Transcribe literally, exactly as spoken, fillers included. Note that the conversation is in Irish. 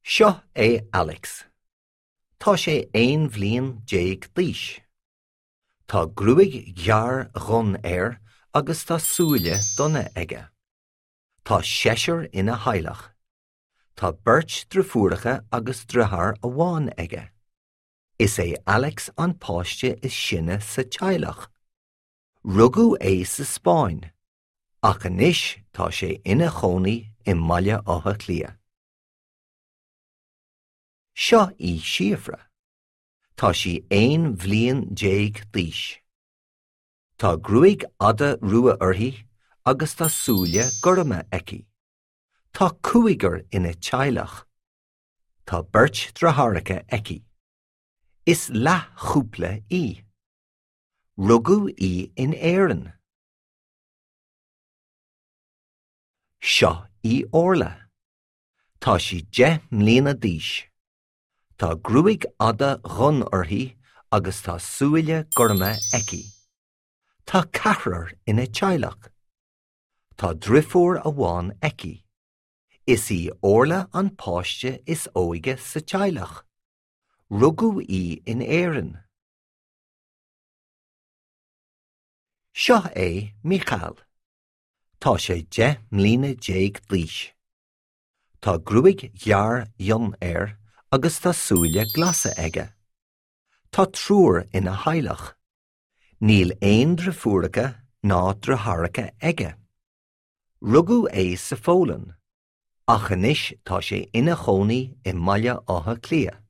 Seo é Alex. Tá sé aon bhliain déag d'aois. Tá gruaig ghearr dhonn air agus tá súile donna aige. Tá seisear ina theaghlach. Tá beirt deirfiúracha agus deartháir amháin aige. Is é Alex an páiste is sine sa teaghlach. Rugadh é sa Spáinn, ach anois tá sé ina chónaí i mBaile Átha Cliath. Seo í Síofra. Tá sí aon bhliain déag d'aois. Tá gruaig fhada rua uirthi agus tá súile gorma aici. Tá cúigear ina teaghlach. Tá beirt deartháireacha aici. Is leathchúpla í. Rugadh í in Éirinn. Seo í Orla. Tá sí deich mbliana d'aois. Tá gruaig fhada dhonn uirthi agus tá súile gorma aici. Tá ceathrar ina teaghlach. Tá deirfiúr amháin aici. Is í Orla an páiste is óige sa teaghlach. Rugadh í in Éirinn. Seo é Micheál. Tá sé deich mbliana déag d'aois. Tá gruaig ghearr fhionn air agus tá súile glasa aige. Tá triúr ina theaghlach. Níl aon deirfiúracha ná deartháireacha aige. Rugadh é sa Pholainn, ach anois tá sé ina chónaí i mBaile Átha Cliath.